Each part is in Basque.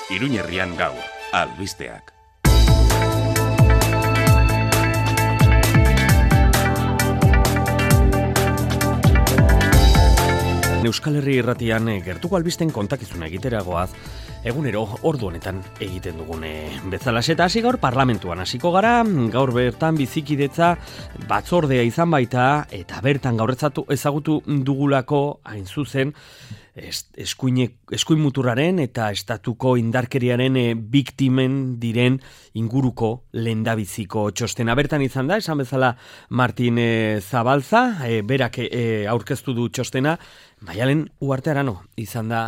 Iruñerrian gaur, albisteak. Euskal Herri Irratian gertuko albisten kontakizuna egiteragoaz, egunero ordu honetan egiten dugune bezalaxe eta hasi gaur parlamentuan hasiko gara, gaur bertan bizikidetza batzordea izan baita eta bertan gaur ezagutu dugulako hain zuzen eskuin muturraren eta estatuko indarkeriaren biktimen diren inguruko lehendabiziko txostena. Bertan izan da, esan bezala Martin Zabalza, berak aurkeztu du txostena, Maialen Uharte Arano izan da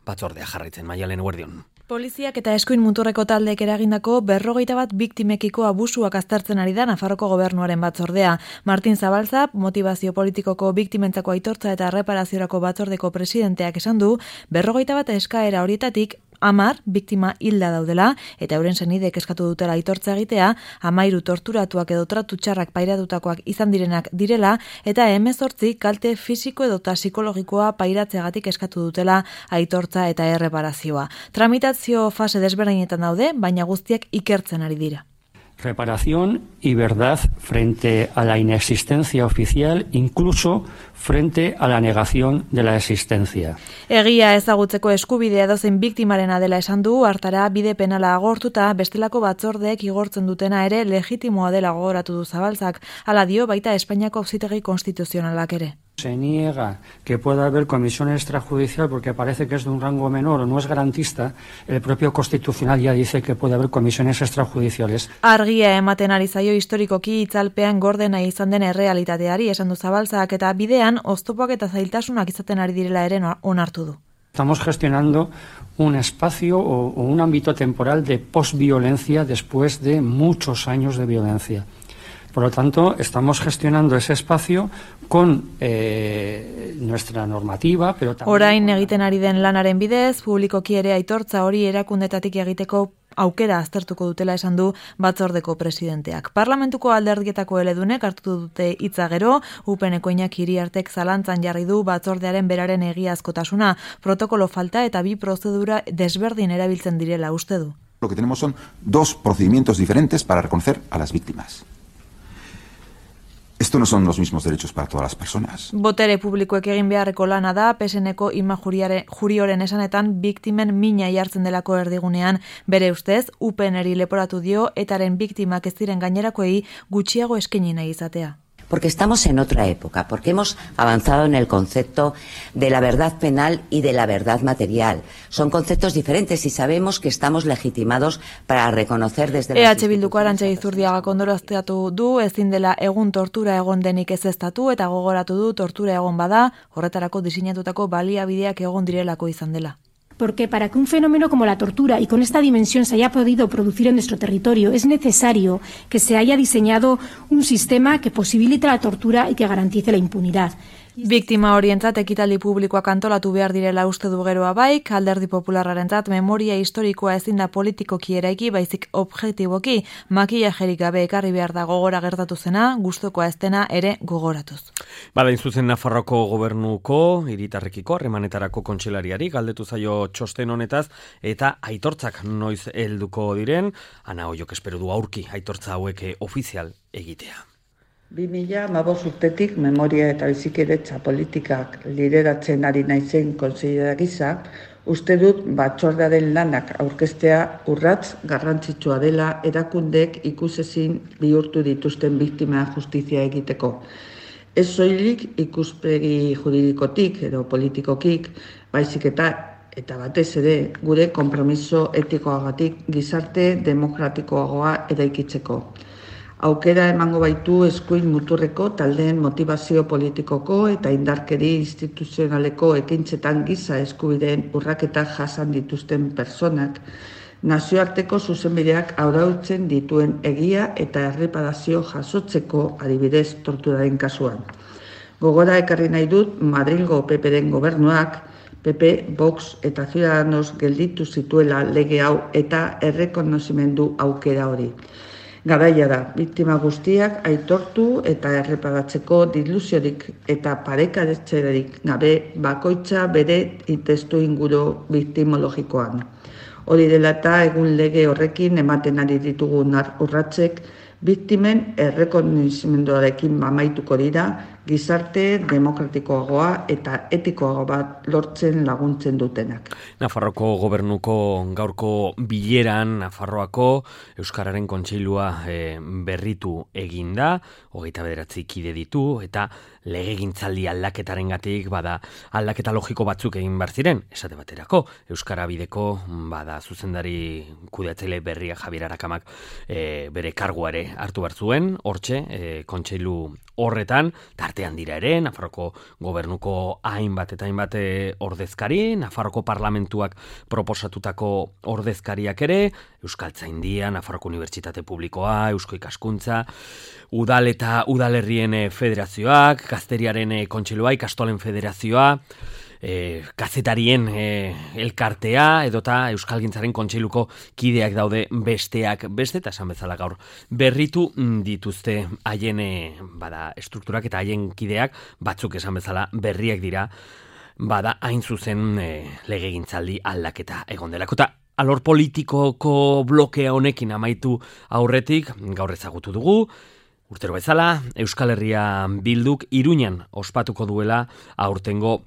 batzordea jarraitzen. Maialen, eguerdion. Poliziak eta eskuin muturreko taldeek eragindako 51 biktimekiko abusuak aztertzen ari da Nafarroko gobernuaren batzordea. Martin Zabalza, motivazio politikoko biktimentzako aitortza eta erreparaziorako batzordeko presidenteak esan du, 51 eskaera horietatik 10 biktima hilda daudela eta euren senidek eskatu dutela aitortza egitea, 13 torturatuak edo tratu txarrak pairatutakoak izan direnak direla eta 18 kalte fisiko edota psikologikoa pairatzeagatik eskatu dutela aitortza eta erreparazioa. Tramitazio fase desberdinetan daude, baina guztiak ikertzen ari dira. Reparación y verdad frente a la inexistencia oficial, incluso frente a la negación de la existencia. Egia ezagutzeko eskubidea edozein biktimarena dela esan du, hartara bide penala agortuta bestelako batzordeek igortzen dutena ere legitimoa dela gogoratu du Zabalzak, hala dio baita Espainiako Auzitegi Konstituzionalak ere. Se niega que pueda haber comisión extrajudicial porque parece que es de un rango menor o no es garantista. El propio Constitucional ya dice que puede haber comisiones extrajudiciales. Argia ematen ari zaio historikoki itzalpean gordena izan den errealitateari esan du Zabalzak eta bidean oztopoak eta zailtasunak izaten ari direla ere onartu du. Estamos gestionando un espacio o un ámbito temporal de posviolencia después de muchos años de violencia. Por lo tanto, estamos gestionando ese espacio con nuestra normativa, pero también... Orain egiten ari den lanaren bidez, publikoki ere aitortza hori erakundetatik egiteko aukera aztertuko dutela esan du batzordeko presidenteak. Parlamentuko alderdietako eledunek hartu dute hitza gero, UPNeko Iñaki Iriartek zalantzan jarri du batzordearen beraren egiazkotasuna, protokolo falta eta bi prozedura desberdin erabiltzen direla uste du. Lo que tenemos son dos procedimientos diferentes para reconocer a las víctimas. Esto no son los mismos derechos para todas las personas. Botere publikoek egin beharreko lana da, PSNeko Ima Jurioren esanetan biktimen mina jartzen delako erdigunean, bere ustez, UPNeri leporatu dio etaren biktimak ez diren gainerakoei gutxiago eskaini nahi izatea. Porque estamos en otra época, porque hemos avanzado en el concepto de la verdad penal y de la verdad material. Son conceptos diferentes y sabemos que estamos legitimados para reconocer desde las EH Bilduko Arantxa Izurdiagak ondorioztatu du, ezin dela egun tortura egon denik ezeztatu eta gogoratu du tortura egon bada, horretarako diseinatutako baliabideak egon direlako izan dela. Porque para que un fenómeno como la tortura y con esta dimensión se haya podido producir en nuestro territorio es necesario que se haya diseñado un sistema que posibilite la tortura y que garantice la impunidad. Biktima horientzat ekitaldi publikoak antolatu behar direla uste du geroa baik, Alderdi Popularrarentzat memoria historikoa ezin da politikoki eraiki, baizik objektiboki, makillajerik gabe ekarri behar da gogora gertatu zena, gustukoa ez dena ere gogoratuz. Bada, zuzen Nafarroko gobernuko hiritarrekiko harremanetarako kontseilariari galdetu zaio txosten honetaz eta aitortzak noiz helduko diren, Ana Oiok espero du aurki aitortza hauek ofizial egitea. 2015 urtetik memoria eta bizikidetza politikak lideratzen ari naizen kontseilari gisa, uste dut batzordearen lanak aurkeztea urrats garrantzitsua dela erakundeek ikusezin bihurtu dituzten biktima justizia egiteko. Ez soilik ikuspegi juridikotik edo politikokik, baizik eta batez ere gure konpromiso etikoagatik gizarte demokratikoagoa eraikitzeko. Aukera emango baitu eskuin muturreko taldeen motivazio politikoko eta indarkeri instituzionaleko ekintzetan giza eskubideen urraketa jasan dituzten personak, nazioarteko zuzenbideak arautzen dituen egia eta erreparazio jasotzeko adibidez torturaren kasuan. Gogora ekarri nahi dut Madrilgo PPren gobernuak, PP, Vox eta Ciudadanos gelditu zituela lege hau eta errekonozimendu aukera hori. Garaia da, biktima guztiak aitortu eta erreparatzeko diluziorik eta parekaretzerik gabe bakoitza bere testu inguru biktimologikoan. Hori dela eta egun lege horrekin ematen ari ditugun urratsek biktimen errekonozimenduarekin amaituko dira, gizarte demokratikoagoa eta etikoago bat lortzen laguntzen dutenak. Nafarroako gobernuko gaurko bileran Nafarroako Euskararen Kontseilua berritu eginda, 29 kide ditu, eta legegintzaldi aldaketarengatik bada aldaketa logiko batzuk egin behar ziren, esate baterako, Euskara bideko bada zuzendari kudeatzaile berria Javier Arakamak bere karguare hartu behar zuen, hortxe, kontseilu horretan, tartean dira ere, Nafarroko gobernuko hainbat eta hainbat ordezkari, Nafarroko parlamentuak proposatutako ordezkariak ere, Euskaltzaindia, Nafarroko Unibertsitate Publikoa, Eusko Ikaskuntza, Udal eta Udalerrien Federazioak, Gazteriaren Kontseilua, Ikastolen Federazioa, kazetarien elkartea edota Euskalgintzaren Kontseiluko kideak daude besteak beste, eta esan bezala gaur berritu dituzte haien bada estrukturak eta haien kideak, batzuk esan bezala berriak dira, bada hain zuzen legegintzaldi aldaketa egon delako. Eta alor politikoko blokea honekin amaitu aurretik, gaur ezagutu dugu, urtero bezala, Euskal Herria Bilduk Iruñan ospatuko duela aurtengo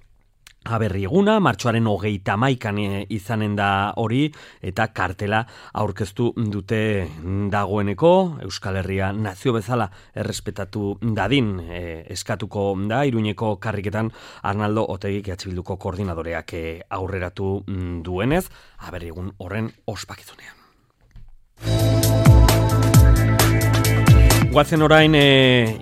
aberri eguna, martxoaren 31an izanen da hori, eta kartela aurkeztu dute dagoeneko, Euskal Herria nazio bezala errespetatu dadin eskatuko da, Iruñeko karriketan Arnaldo Otegik EH Bilduko koordinadoreak aurreratu duenez, aberri egun horren ospakizunean. Guazen orain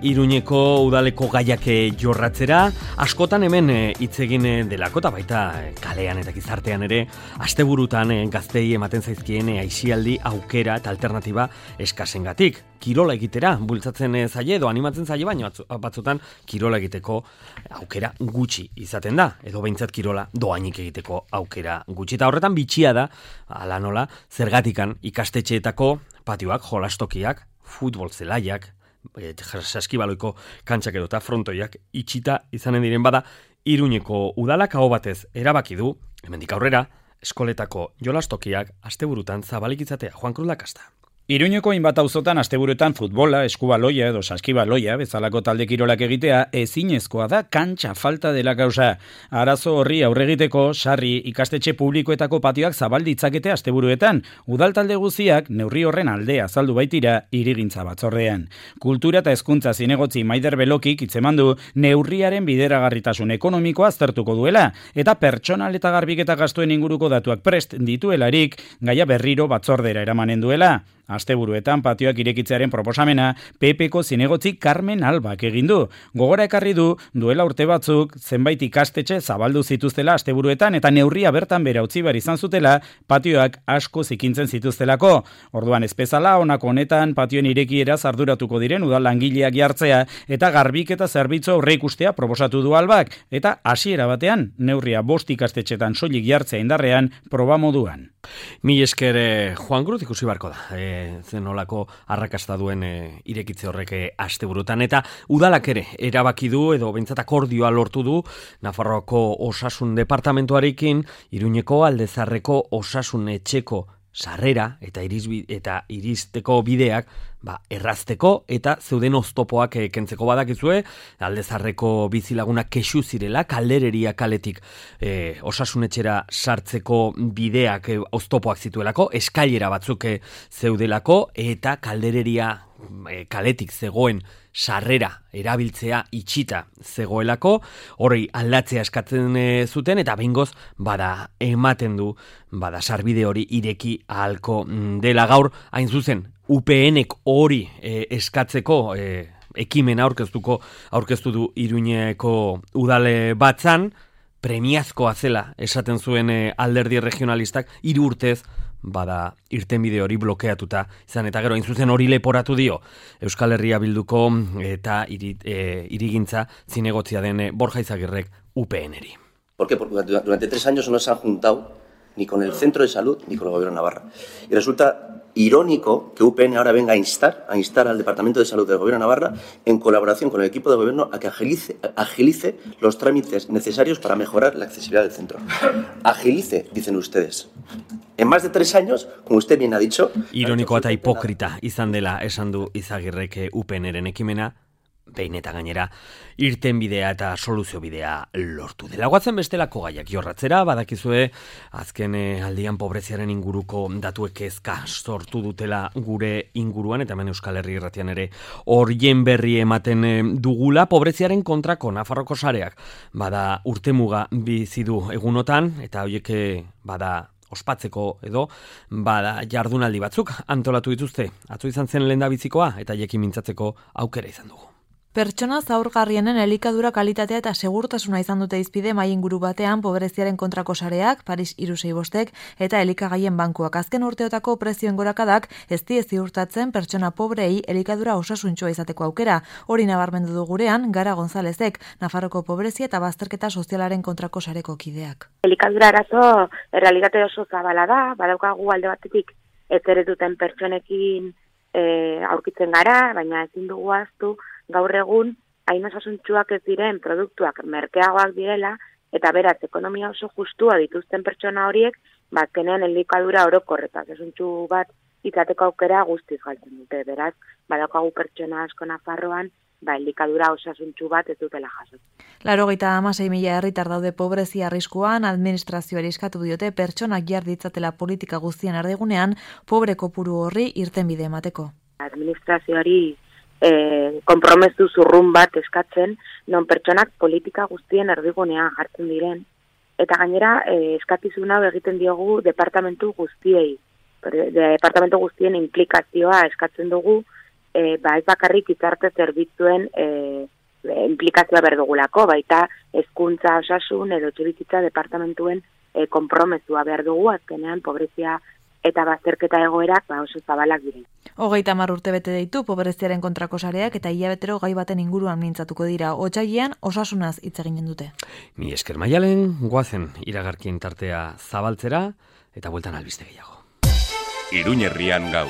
Iruñeko udaleko gaiak jorratzera, askotan hemen hitz egin delako, eta baita kalean eta gizartean ere, asteburutan gaztei ematen zaizkien aisialdi aukera eta alternatiba eskasengatik. Kirola egitera bultzatzen zaie edo animatzen zaie, baina batzutan kirola egiteko aukera gutxi izaten da, edo behintzat kirola doainik egiteko aukera gutxi. Eta horretan bitxia da, ala nola, zergatikan ikastetxeetako patioak, jolastokiak, futbol zelaiak, saskibaloiko kantxak edota frontoiak itxita izanen diren, bada Iruñeko udalak aho batez erabaki du, hemendik aurrera, eskoletako jolastokiak asteburutan zabalik izatea. Juan Cruz Lakasta. Iruñeko hainbat auzotan asteburuetan futbola, eskubaloia edo saskibaloia bezalako talde kirolak egitea ezinezkoa da, kantxa falta dela gauza. Arazo horri aurregiteko sarri ikastetxe publikoetako patioak zabal ditzakete asteburuetan. Udal talde guztiak neurri horren alde azaldu baitira hirigintza batzordean. Kultura eta hezkuntza zinegotzi Maider Belokik hitzemandu neurriaren bideragarritasun ekonomikoa aztertuko duela, eta pertsonal eta garbiketa gastuen inguruko datuak prest dituelarik gaia berriro batzordera eramanen duela. Asteburuetan patioak irekitzearen proposamena PPko zinegotzi Carmen Albak egin du. Gogora ekarri du duela urte batzuk zenbait ikastetxe zabaldu zituztela asteburuetan eta neurria bertan bera utzi behar izan zutela patioak asko zikintzen zituztelako. Orduan ez bezala honako honetan patioen irekieraz arduratuko diren udal langileak jartzea eta garbiketa zerbitzu aurreikustea proposatu du Albak, eta hasiera batean neurria 5 ikastetxetan soilik jartzea indarrean proba moduan. Mi esker Juan Cruz ikusi barko da. Zenolako arrakasta duen irekitze horrek asteburutan, eta udalak ere erabaki du edo behintzat akordioa lortu du Nafarroako Osasun Departamentuarekin Iruñeko Aldezarreko Osasun Etxeko sarrera eta iristeko bideak errazteko eta zeuden oztopoak kentzeko. Badakizue, Aldezarreko bizilagunak kexu zirela, Kaldereria kaletik osasunetxera sartzeko bideak oztopoak zituelako, eskailera batzuk zeudelako, eta Kaldereria kaletik zegoen sarrera erabiltzea itxita zegoelako, hori aldatzea eskatzen zuten, eta behingoz ematen du sarbide hori ireki ahalko dela. Gaur hain zuzen UPNek hori eskatzeko ekimena aurkeztu du Iruñeko udale batzan, premiazkoa zela esaten zuen alderdi regionalistak, 3 urtez irtenbide hori blokeatuta izan, eta gero hain zuzen hori leporatu dio Euskal Herria Bilduko eta hirigintza zinegotzia den Borja Izagirrek UPNeri. ¿Por qué? Porque durante 3 años no se han juntado ni con el centro de salud ni con el gobierno de Navarra. Y resulta irónico que UPN ahora venga a instar al Departamento de Salud del Gobierno de Navarra, en colaboración con el equipo de gobierno, a que agilice los trámites necesarios para mejorar la accesibilidad del centro. Agilice, dicen ustedes. En más de 3 años, como usted bien ha dicho... Ironikoa eta hipokrita izan dela esan du Izagirrek UPNren ekimena, behin eta gainera irten bidea eta soluzio bidea lortu dela. Guatzen bestelako gaiak jorratzera, badakizue azken aldian pobreziaren inguruko datuek kezka sortu dutela gure inguruan, eta hemen Euskal Herri Irratian ere horien berri ematen dugula. Pobreziaren kontrako Nafarroko sareak bada urtemuga bizi du egunotan, eta horiek bada ospatzeko edo bada jardunaldi batzuk antolatu dituzte. Atzo izan zen lehendabizikoa eta hiekin mintzatzeko aukera izan dugu. Pertsona zaurgarrienen elikadura kalitatea eta segurtasuna izan dute izpide mai inguru batean pobreziaren kontrako sareak, Paris 365 eta elikagaien bankuak. Azken urteotako prezioen gorakadak ez die ziurtatzen pertsona pobrei elikadura osasuntxoa izateko aukera. Hori nabarmendu du gurean Gara Gonzalezek, Nafarroko pobrezia eta bazterketa sozialaren kontrako sareko kideak. Elikadura arazo errealitate oso zabala da, badaukagu alde batetik ez ere duten pertsonekin aurkitzen gara, baina ezin dugu ahaztu gaur egun hain osasuntsuak ez diren produktuak merkeagoak direla, eta beraz ekonomia oso justua dituzten pertsona horiek, bazkenean elikadura orokor eta osasuntsu bat izateko aukera guztiz galtzen dute. Beraz, badaukagu pertsona asko Nafarroan, elikadura osasuntsu bat ez dutela jaso. 96.000 herritar daude pobrezia arriskuan, administrazioari eskatu diote pertsonak jar ditzatela politika guztien erdigunean, pobre kopuru horri irtenbide emateko. Administrazioari konpromezu zurrun bat eskatzen, non pertsonak politika guztien erdigunean jartzen diren, eta gainera eskakizun hau egiten diogu departamentu guztiei. Departamentu guztien implikazioa eskatzen dugu, ez bakarrik gizarte zerbitzuen implikazioa berdugulako, baita hezkuntza, osasun edo etxebizitza departamentuen konpromezua behar dugu, azkenean pobrezia eta bazterketa egoerak oso zabalak diren. 30 urte bete ditu pobreziaren kontrako sareak eta hilabetero gai baten inguruan mintzatuko dira. Otsailean osasunaz hitz eginen dute. Mi esker Maialen, goazen iragarkien tartea zabaltzera eta bueltan albiste gehiago. Iruñerrian gaur.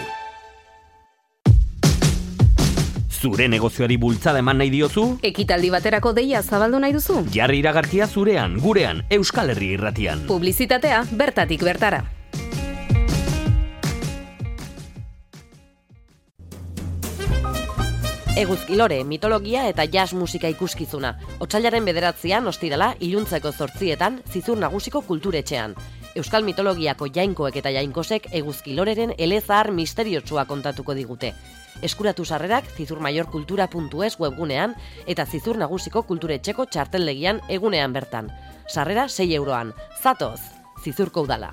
Zure negozioari bultzada eman nahi diozu? Ekitaldi baterako deia zabaldu nahi duzu? Jarri iragarkia zurean, gurean, Euskal Herri Irratian. Publizitatea bertatik bertara. Eguzkilore, mitologia eta jazz musika ikuskizuna. Otsailaren 9 ostirala, iluntzeko 8 Zizur Nagusiko kulturetxean. Euskal mitologiako jainkoek eta jainkosek Eguzkiloreren elezahar misteriotsua kontatuko digute. Eskuratu sarrerak zizurmaiorkultura.es webgunean eta Zizur Nagusiko kulturetxeko txarteldegian egunean bertan. Sarrera 6 euroan. Zatoz, Zizurko udala.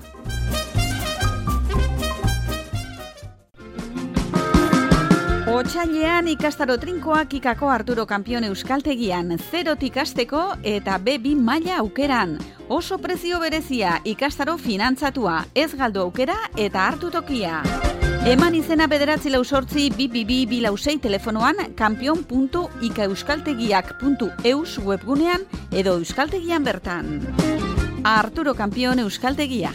Otsailean ikastaro trinkoak ikako Arturo Kampion euskaltegian, 0tik hasteko eta B2 maila aukeran. Oso prezio berezia, ikastaro finantzatua, ez galdu aukera eta hartu tokia. Eman izena 9482246 telefonoan kampion.ikaeuskaltegiak.eus webgunean edo euskaltegian bertan. Arturo Kampion euskaltegia.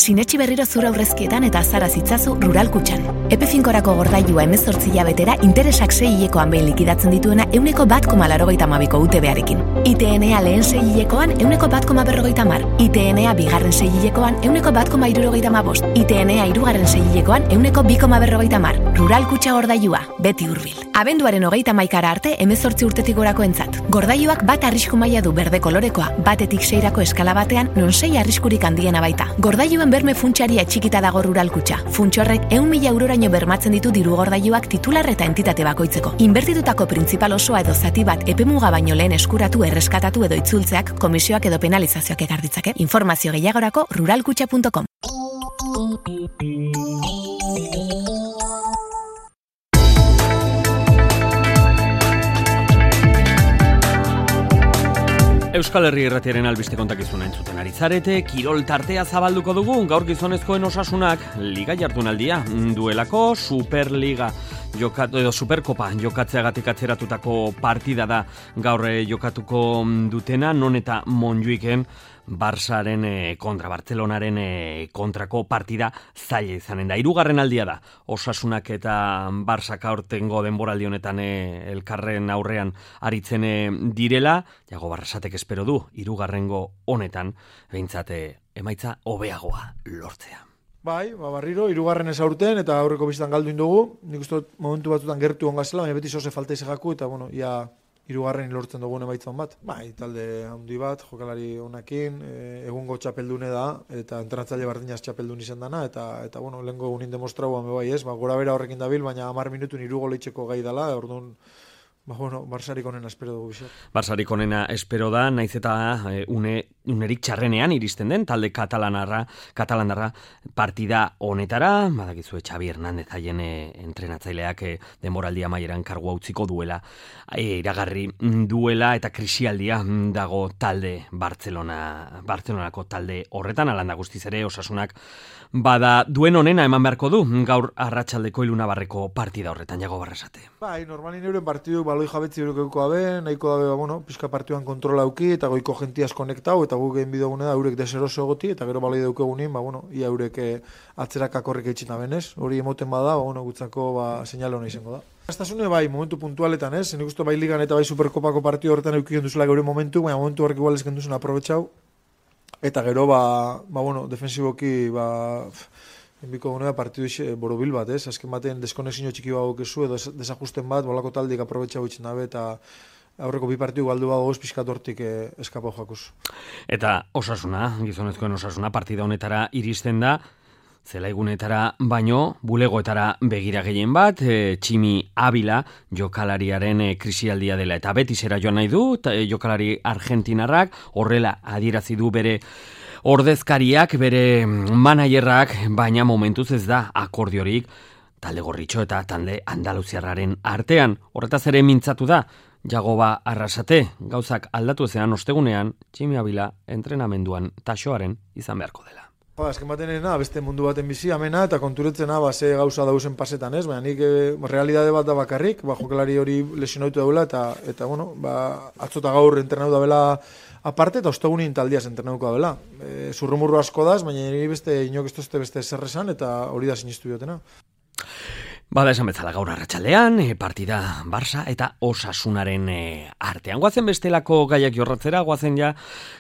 Sinetxi berriro zura aurrezkietan eta azara zitzazu Rural Kutxan. Epe finkorako gordailua 18 hilabetera interesak 6 hilekoan behin likidatzen dituena 1,82ko UTB-arekin. ITNA lehen 6 hilekoan 1,150. ITNA bigarren 6 hilekoan 1,175. ITNA hirugarren 6 hilekoan 1,250. Rural Kutxa gordailua, beti hurbil. Abenduaren 31 arte 18 urtetik gorako entzat. Gordailuak bat arrisku maila du berde kolorekoa, batetik 6rako eskala batean, non 6 arriskurik handiena baita. Gordailuen berme funtsaria txikita dago Rural Kutxa. Funtsorrek 100.000 euroraino bermatzen ditu diru gordailuak titular eta entitate bakoitzeko. Inbertitutako printzipal osoa edo zati bat epemuga baino lehen eskuratu, erreskatatu edo itzultzeak komisioak edo penalizazioak ekar ditzake. Informazio gehiagorako ruralkutxa.com. Euskal Herri Irratiaren albiste kontakizuna entzuten ari zarete, kirol tartea zabalduko dugu, gaur gizonezkoen osasunak liga jardunaldia duelako Superliga edo Superkopa jokatzeagatik atzeratutako partida da gaur jokatuko dutena, non eta Montjuiken Barsaren kontra, Bartzelonaren kontrako partida zaila izanen da. 3. aldia da, Osasunak eta Barsak aurtengo denboraldi honetan elkarren aurrean aritzen direla, Jago Barrasatek espero du, 3. honetan, behintzat emaitza hobeagoa lortzea. Bai, barriro, 3. ez aurten, eta aurreko bizitan galduin dugu. Nik uste momentu batzutan gertu ongazela, baina beti zoze falta izegaku, eta bueno, ia 3. lortzen dugu emaitzan bat. Bai, talde handi bat, jokalari honakin, egungo txapeldune da, eta entrenatzaile bardinaz txapeldun izan dana, eta bueno, lehenko egunin demostrauan bai ez, gora bera horrekin dabil, baina 10 minutun 3 gol eitzeko gai dela, orduan, Barsarik onena espero dugu bizar. Barsarik onena espero da, naiz eta unerik txarrenean iristen den, talde katalanarra partida honetara, badakizue Xabi Hernández haien entrenatzaileak denboraldia amaieran kargua utziko duela, iragarri duela eta krisialdia dago talde Bartzelonako talde horretan, alanda guztiz ere Osasunak bada duen onena eman beharko du gaur arratsaldeko Ilunabarreko partida horretan, Jago Barrasate. Bai, normalin euren partidu baloi jabetzi eureko abe, nahiko dabe, pizka partiduan kontrola auki, eta goiko jentiaz konektau, eta guk egin bidogune da, eurek deseroso egoti, eta gero baloi daukegunin, ia eurek atzerak akorrik eitxina benez, hori emoten bada, gutzako seinale hona izango da. Aztasune bai, momentu puntualetan, ez? Nik uste bai ligan eta bai superkopako partidu horretan eukion duzula geure momentu, baina momentu horrek igual ezken duzen aprobetxau, eta gero, defensiboki, enbiko gunea partidu borobil bat, ez? Azken batean deskonexio txiki bago kezu, edo desajusten bat, bolako taldik aprobetxau itxen dabe, eta aurreko 2 partidu galdu bago pixkat hortik eskapau jakuz. Eta Osasuna, gizonezkoen Osasuna, partida honetara iristen da, zelaigunetara baino, bulegoetara begira gehien bat, Tximi Abila jokalariaren krisialdia dela, eta beti zera joan nahi du, jokalari argentinarrak, horrela adierazi du bere ordezkariak, bere managerrak, baina momentuz ez da akordiorik talde gorritxo eta talde andaluziarraren artean. Horretaz ere mintzatu da, Jagoba Arrasate, gauzak aldatu ezean ostegunean, Tximi Abila entrenamenduan taxoaren izan beharko dela. Azken batenena, beste mundu baten bizi, amena, eta konturetzena, ze gauza dauzen pasetan, ez? Baina nik realidade bat da bakarrik, jokalari hori lesionautu daula, eta atzota gaur entrenau da bela aparte, eta ostegunin taldiaz entrenauko da bela. Zurrumurru asko daz, baina niri beste inok ez tozte beste zerrezan, eta hori da sinistu biotena. Bada esan bezala gaur arratsaldean, partida Barça eta Osasunaren artean. Goazen bestelako gaiak jorratzera, goazen ja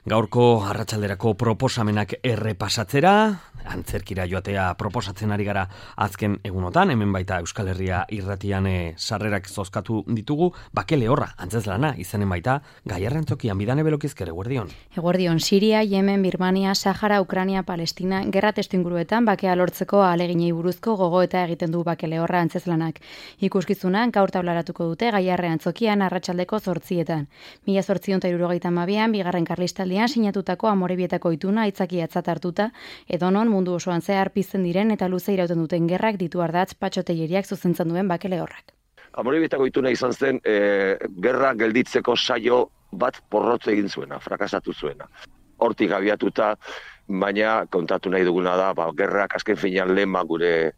gaurko arratsalderako proposamenak errepasatzera, antzerkira joatea proposatzen ari gara azken egunotan, hemen baita Euskal Herria irratian sarrerak zozkatu ditugu, Bake Lehorra, antzezlana, izanen baita, Gaiarren Zokian, Bidane Belokizker, eguerdion. Eguerdion, Siria, Yemen, Birmania, Sahara, Ukraina, Palestina, gerra testu inguruetan, bakea lortzeko ahaleginei buruzko gogoeta egiten du Bake Lehorra antzezlanak. Ikuskizunan gaur taularatuko dute Gaiarren Zokian arratsaldeko 8:00. 1872an, bigarren karlistaldian sinatutako Amorebietako ituna aitzakiatzat hartuta, edonon mundu osoan zehar pizten diren eta luze irauten duten gerrak ditu ardatz patxoteieriak zuzentzen duen Bake Lehorrak. Amorebietako ituna izan zen gerra gelditzeko saio bat porrotze egin zuena, frakasatu zuena. Hortik abiatuta, baina kontatu nahi duguna da, gerrak azken finean lema gure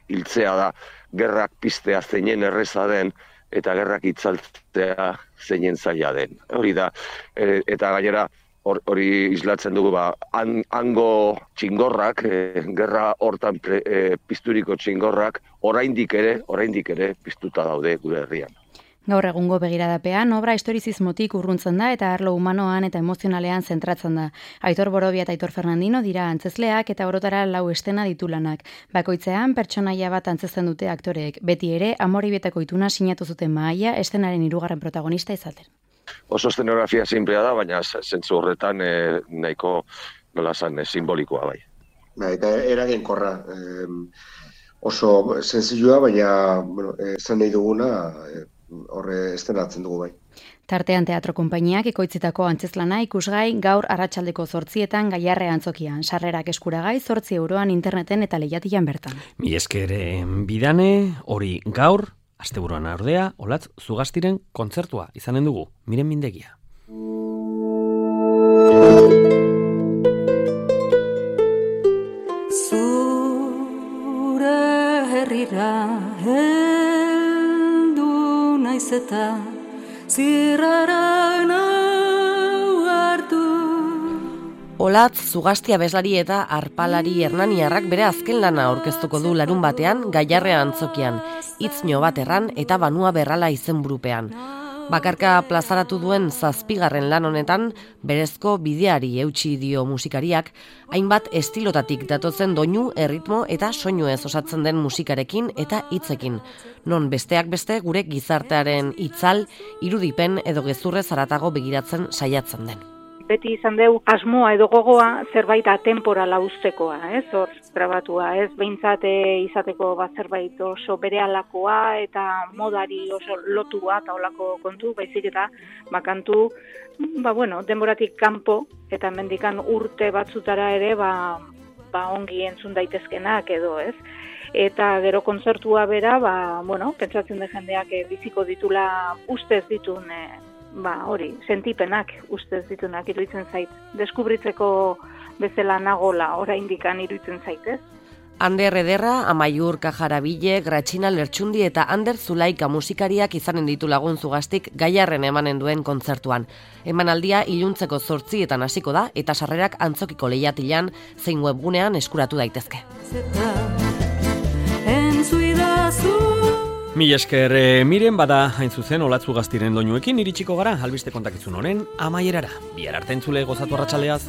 hiltzea da, gerrak piztea zeinen erreza den, eta gerrak itzaltzea zeinen zaila den. Hori da, eta gainera, hori islatzen dugu, hango txingorrak, gerra hortan pizturiko txingorrak, oraindik ere piztuta daude gure herrian. Gaur egungo begiradapean, obra historizismotik urruntzen da eta arlo humanoan eta emozionalean zentratzen da. Aitor Borobia eta Aitor Fernandino dira antzezleak eta orotara 4 estena ditu lanak. Bakoitzean pertsonaia bat antzesten dute aktoreek. Beti ere, Amorebietako ituna sinatu zuten mahaia estenaren 3. protagonista izaten. Oso eszenografia simplea da, baina zentzu horretan nahiko simbolikoa bai. Eta eraginkorra. Oso senzilua, baina zen nahi duguna horre estenatzen dugu bai. Tartean teatro konpainiak ekoitzitako antzezlana ikusgai gaur arratsaldeko 8:00 Gaiarre Antzokian. Sarrerak eskuragai 8 euroan interneten eta lehiatilan bertan. Mi esker Bidane, hori gaur, asteburuan ordea, Olatz Zugastiren kontzertua izanen dugu, Miren Mindegia. Zure herrira heldu naiz eta zirrara nau hartu Olatz, Zugasti abeslari eta arpalari hernaniarrak bere azken lana aurkeztuko du larun batean, Gaiarrea antzokian, hitznio bat erran eta banua berrala izenburupean. Bakarka plazaratu duen 7. lan honetan, berezko bideari eutsi dio musikariak, hainbat estilotatik datotzen doinu, erritmo eta soinuez osatzen den musikarekin eta hitzekin. Non besteak beste gure gizartearen itzal, irudipen edo gezurrez haratago begiratzen saiatzen den. Beti izan deu asmoa edo gogoa zerbait atemporala uztekoa, hor grabatua, behintzat izateko zerbait oso berealakoa eta modari oso lotua eta olako kontu, baizik eta kantu, denboratik kanpo eta mendikan urte batzutara ere ongi entzun daitezkenak edo, Eta gero kontzertua bera, pentsatzen de jendeak biziko ditula ustez ditun sentipenak ustez ditunak iruditzen zait. Deskubritzeko bezala nagola oraindik iruditzen zait, Ander Ederra, Amaiur Kajarabile, Gratxina Lertxundi eta Ander Zulaika musikariak izanen ditu lagun Zugastik Gaiarren emanen duen kontzertuan. Emanaldia iluntzeko 8 hasiko da eta sarrerak Antzokiko lehiatilan zein webgunean eskuratu daitezke. Mila esker, miren bada hain zuzen Olatz Zugastiren doinuekin iritsiko gara albiste kontakizun honen amaierara. Bihar arte entzule gozatu arratsaleaz.